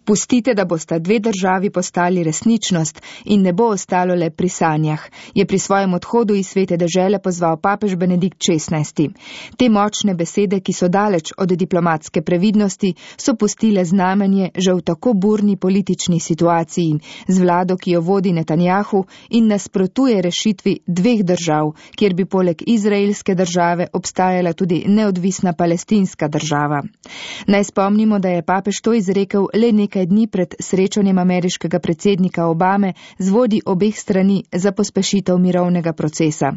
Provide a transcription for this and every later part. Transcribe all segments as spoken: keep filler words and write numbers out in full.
Pustite, da bosta dve državi postali resničnost in ne bo ostalo le pri sanjah, je pri svojem odhodu iz svete dežele pozval papež Benedikt šestnajsti. Te močne besede, ki so daleč od diplomatske previdnosti, so pustile znamenje že v tako burni politični situaciji z vlado, ki jo vodi Netanjahu in nasprotuje rešitvi dveh držav, kjer bi poleg izraelske države obstajala tudi neodvisna palestinska država. Naj spomnimo, da je papež to izrekel le nekaj dni pred srečanjem ameriškega predsednika Obame z vodji obeh strani za pospešitev mirovnega procesa.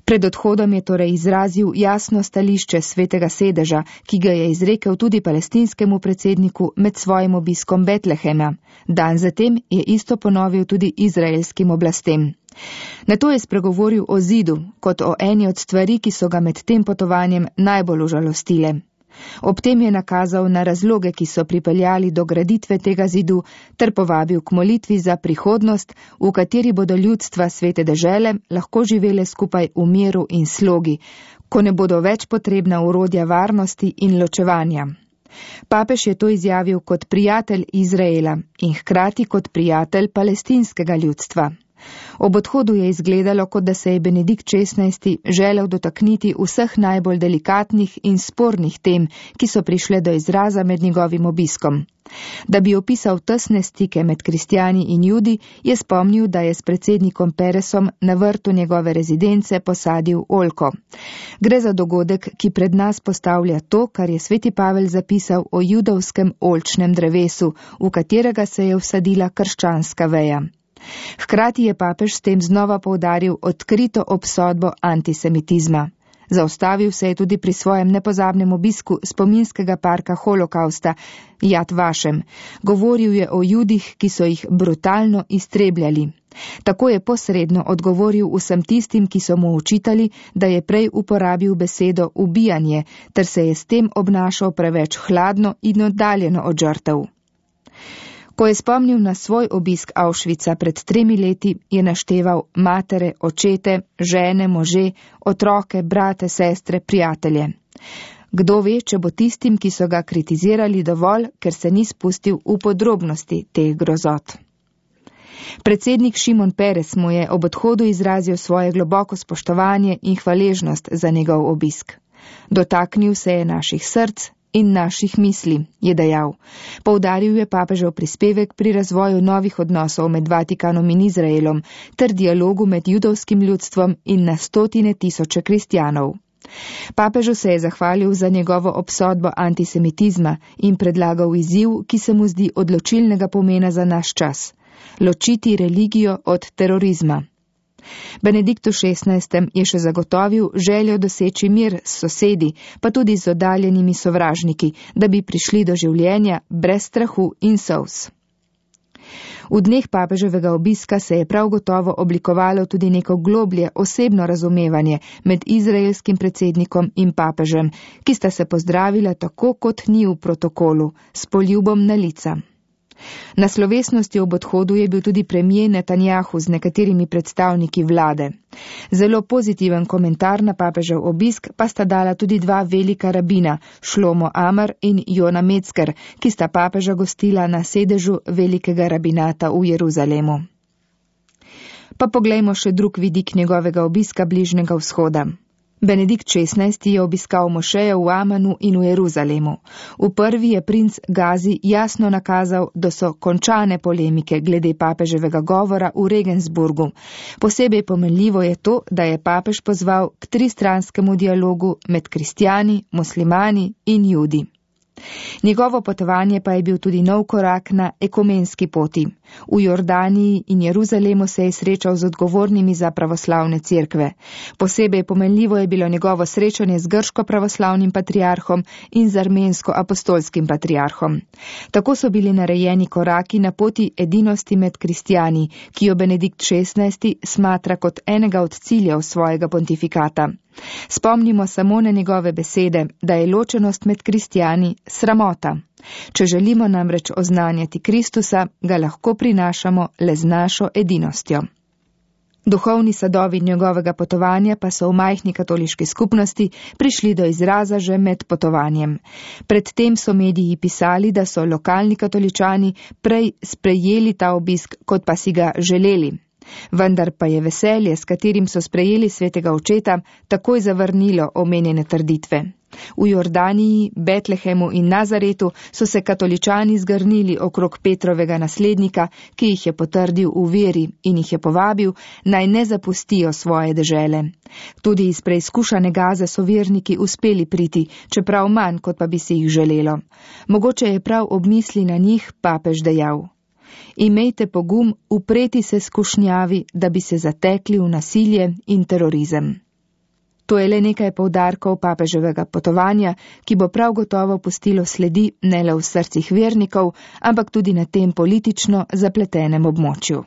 Pred odhodom je torej izrazil jasno stališče svetega sedeža, ki ga je izrekel tudi palestinskemu predsedniku med svojim obiskom Betlehema. Dan zatem je isto ponovil tudi izraelskim oblastem. Nato je spregovoril o zidu, kot o eni od stvari, ki so ga med tem potovanjem najbolj užalostile. Ob tem je nakazal na razloge, ki so pripeljali do graditve tega zidu, ter povabil k molitvi za prihodnost, v kateri bodo ljudstva svete dežele lahko živele skupaj v miru in slogi, ko ne bodo več potrebna orodja varnosti in ločevanja. Papež je to izjavil kot prijatelj Izraela in hkrati kot prijatelj palestinskega ljudstva. Ob odhodu je izgledalo, kot da se je Benedikt šestnajsti želel dotakniti vseh najbolj delikatnih in spornih tem, ki so prišle do izraza med njegovim obiskom. Da bi opisal tesne stike med kristjani in judi, je spomnil, da je s predsednikom Peresom na vrtu njegove rezidence posadil oljko. Gre za dogodek, ki pred nas postavlja to, kar je sveti Pavel zapisal o judovskem oljčnem drevesu, v katerega se je vsadila krščanska veja. Hkrati je papež s tem znova poudaril odkrito obsodbo antisemitizma. Zaustavil se je tudi pri svojem nepozabnem obisku spominskega parka holokausta Jad Vašem. Govoril je o judih, ki so jih brutalno iztrebljali. Tako je posredno odgovoril vsem tistim, ki so mu očitali, da je prej uporabil besedo ubijanje, ter se je s tem obnašal preveč hladno in oddaljeno od žrtev. Ko je spomnil na svoj obisk Auschwitza pred tremi leti, je našteval matere, očete, žene, može, otroke, brate, sestre, prijatelje. Kdo ve, če bo tistim, ki so ga kritizirali, dovolj, ker se ni spustil v podrobnosti teh grozot. Predsednik Šimon Peres mu je ob odhodu izrazil svoje globoko spoštovanje in hvaležnost za njegov obisk. Dotaknil se je naših src in naših misli, je dejal. Poudaril je papežev prispevek pri razvoju novih odnosov med Vatikanom in Izraelom ter dialogu med judovskim ljudstvom in na stotine tisoče kristjanov. Papežu se je zahvalil za njegovo obsodbo antisemitizma in predlagal izziv, ki se mu zdi odločilnega pomena za naš čas: ločiti religijo od terorizma. Benediktu šestnajstem je še zagotovil željo doseči mir s sosedi, pa tudi z oddaljenimi sovražniki, da bi prišli do življenja brez strahu in solz. V dneh papeževega obiska se je prav gotovo oblikovalo tudi neko globlje osebno razumevanje med izraelskim predsednikom in papežem, ki sta se pozdravila tako, kot ni v protokolu, s poljubom na lica. Na slovesnosti ob odhodu je bil tudi premijer Netanjahu z nekaterimi predstavniki vlade. Zelo pozitiven komentar na papežev obisk pa sta dala tudi dva velika rabina, Šlomo Amar in Jona Metzger, ki sta papeža gostila na sedežu velikega rabinata v Jeruzalemu. Pa poglejmo še drug vidik njegovega obiska Bližnjega vzhoda. Benedikt šestnajsti je obiskal mošeje v Amanu in v Jeruzalemu. V prvi je princ Gazi jasno nakazal, da so končane polemike glede papeževega govora v Regensburgu. Posebej pomenljivo je to, da je papež pozval k tristranskemu dialogu med kristjani, muslimani in judi. Njegovo potovanje pa je bil tudi nov korak na ekumenski poti. V Jordaniji in Jeruzalemu se je srečal z odgovornimi za pravoslavne cerkve. Posebej pomenljivo je bilo njegovo srečanje z grško pravoslavnim patriarhom in z armensko-apostolskim patriarhom. Tako so bili narejeni koraki na poti edinosti med kristjani, ki jo Benedikt šestnajsti smatra kot enega od ciljev svojega pontifikata. Spomnimo samo na njegove besede, da je ločenost med kristjani sramota. Če želimo namreč oznanjati Kristusa, ga lahko prinašamo le z našo edinostjo. Duhovni sadovi njegovega potovanja pa so v majhni katoliški skupnosti prišli do izraza že med potovanjem. Predtem so mediji pisali, da so lokalni katoličani prej sprejeli ta obisk, kot pa si ga želeli. Vendar pa je veselje, s katerim so sprejeli svetega očeta, takoj zavrnilo omenjene trditve. V Jordaniji, Betlehemu in Nazaretu so se katoličani zgrnili okrog Petrovega naslednika, ki jih je potrdil v veri in jih je povabil, naj ne zapustijo svoje dežele. Tudi iz preizkušane Gaze so verniki uspeli priti, čeprav manj, kot pa bi si jih želelo. Mogoče je prav ob misli na njih papež dejal: Imejte pogum upreti se skušnjavi, da bi se zatekli v nasilje in terorizem. To je le nekaj poudarkov papeževega potovanja, ki bo prav gotovo pustilo sledi ne le v srcih vernikov, ampak tudi na tem politično zapletenem območju.